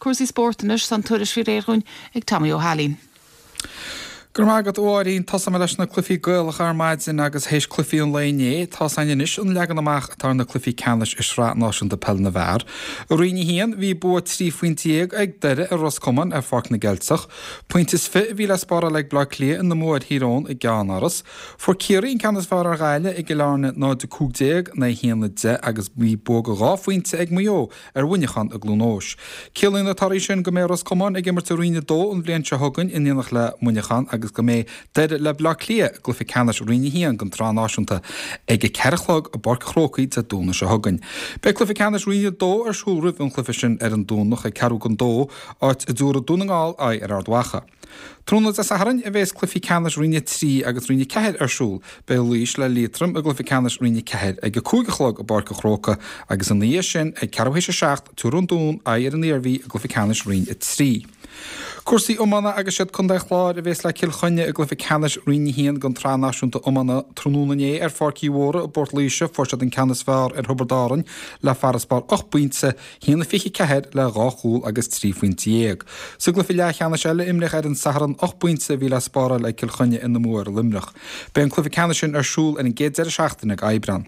Cúrsaí spóirt anois, tá an tuairisc faoi réir dhúinn ag Tommy Ó hAilín. Go raibh maith agat, a Mháirín. Tosóidh mé leis na cluichí Gaelacha ar maidin agus théis cluichí an lae inné, tá's againn anois an leagan amach atá ar na cluichí ceannais i Sraith Náisiúnta Peile na bhFear. I Roinn 1, bhí bua 13 phointe ag Doire ar Ros Comáin ar Pháirc na gCeilteach. Pointe is 20 a bhí le spáráil ag Bleá Cliath ina mbua ar Thír Eoghain i gCeannáras. Fuair Ciarraí an ceann is fearr ar Ghaillimh i gCill Airne 0-15 in aghaidh 1-10 agus bhí bua de dhá phointe ag Maigh Eo ar Mhuineachán i gCluain Eois. Ciallaíonn na torthaí sin go mbeidh Ros Comáin ag imirt i Roinn 2 an bhliain seo chugainn in éineacht le Muineachán agus go mbeidh Doire le Bleá Cliath i gcluiche ceannais Roinn 1 den tSraith Náisiúnta ag a 4 a chlog i bPáirc an Chrócaigh Dé Domhnaigh seo chugainn. Beidh cluiche ceannais Roinn 2 ar siúl roimh an chluiche sin ar an Domhnach ag ceathrú don dó, áit a dtabharfaidh Dún na nGall aghaidh ar Ard Mhacha. Tráthnóna Dé Sathairn a bheas cluichí ceannais Roinn 3 agus Roinn 4 ar siúl. Beidh Laois le Liatroim i gcluiche ceannais Roinn 4 ag 5 a chlog i bPáirc an Chrócaigh agus ina dhiaidh sin ag ceathrú théis a 7 tabharfaidh an Dún aghaidh ar an Iarmhí i gcluiche ceannais Roinn 3. Cúrsaí iomána agus siad Contae an Chláir a bheas le Cill Chainnigh i gcluiche ceannais Roinn 1 den tSraith Náisiúnta Iomána tráthnóna inné ar Pháirc Uí Mhórdha i bPort Laoise fuair siad an ceann is fearr ar Thiobraid Árann le farasbarr 8 bpointe 1-24 le 2 chúl agus 13 phointe. Sa gcluiche leathcheannais eile a imríodh ar an Satharn, 8 bpointe a bhí le spáráil ag Cill Chainnigh ina mbua ar Luimneach. Beidh an cluiche ceannais sin ar siúl ar an gcéad deireadh seachtaine d'Aibreán.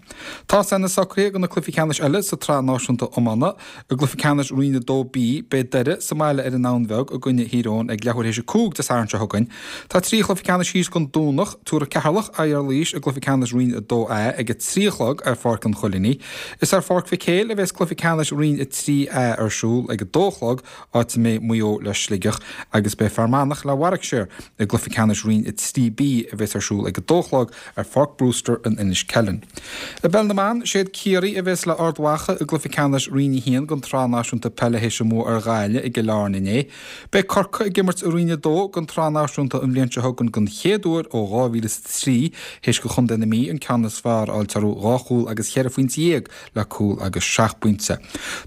Tá na socruithe do na cluichí ceannais eile sa tSraith Náisiúnta Iomána. I gcluiche ceannais Roinn 2B, beidh Doire sa mbaile ar an nDamhain Bheag i gcoinne Thír Eoghain ag leathuair théis 5 Dé Sathairn seo chugainn. Tá 3 chluiche ceannais thíos don Domhnach. Tabharfaidh Ceatharlach aghaidh ar Laois i gcluiche ceannais Roinn 2A ag 3 a chlog ar Pháirc an Choilinigh. Is ar Pháirc Mhic Éil a bheas cluiche ceannais Roinn 3A ar siúl ag 2 a chlog, áit a mbeidh Maigh Eo le Sligeach agus beidh Fear Manach le Warwickshire i gcluiche ceannais Roinn 3B a bheas ar siúl ag 2 a chlog ar Pháirc Brewster in Inis Ceithleann. I bPeil na mBan, séad Ciarraí a bheas le Ard Mhacha i gcluiche ceannais Roinn 1 den tSraith Náisiúnta Peile théis a mbua ar Ghaillimh i gCill Airne inné. Beidh Corcaigh ag imirt i Roinn 2 den tSraith Náisiúnta an bhliain seo chugainn den chéad uair ó 2003 théis do chontae na Mí an ceann is fearr a fháilt orthu, dhá chúl agus cheithre phointe dhéag le cúl agus seacht bpointe.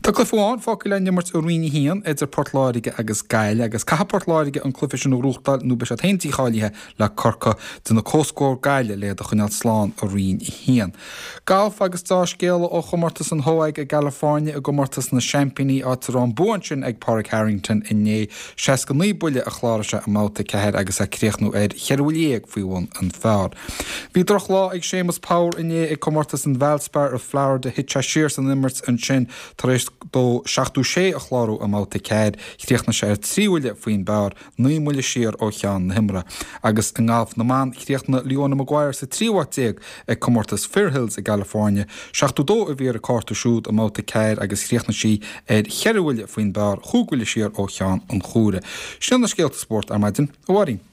Tá cluiche amháin fágtha le n-imirt i Roinn 1 idir Port Láirge agus Gaillimh agus caithfidh Port Láirge an cluiche sin a ghnóthachtáil nó beidh siad féin dícháilithe le Corcaigh déanamh comhscór Gaillimh le iad a choinneáil slán i Roinn 1. Galf agus deá-scéala ó chomórtas an HOAG i gCalifornia i gcomórtas na Seaimpíní áit a raibh an bua ansin ag Pádraig Harrington inné. 69 buille a chláraigh sé i mbabhta 4 agus é ag críochnú ar cheithre bhuille dhéag faoi bhun an phar. Bhí drochlá ag Séamus Power inné ag comórtas an Valspar i Florida. Thit sé siar san imirt ansin tar éis dó 76 a chlárú i mbabhta 4. Chríochnaigh sé ar 3 bhuille faoin bpar. 9 mbuille siar ó cheann na himeartha. Agus i ngalf na mban, chríochnaigh Leona Maguire sa tríú háit déag ag comórtas Fair Hills i gCalifornia. 72 a bhí ar a cárta siúd i mbabhta 4 agus chríochnaigh sí ar cheithre bhuille faoin bpar, chúig bhuille siar ó cheann an chuaire. Sin na scéalta spóirt ar maidin, a Mháirín.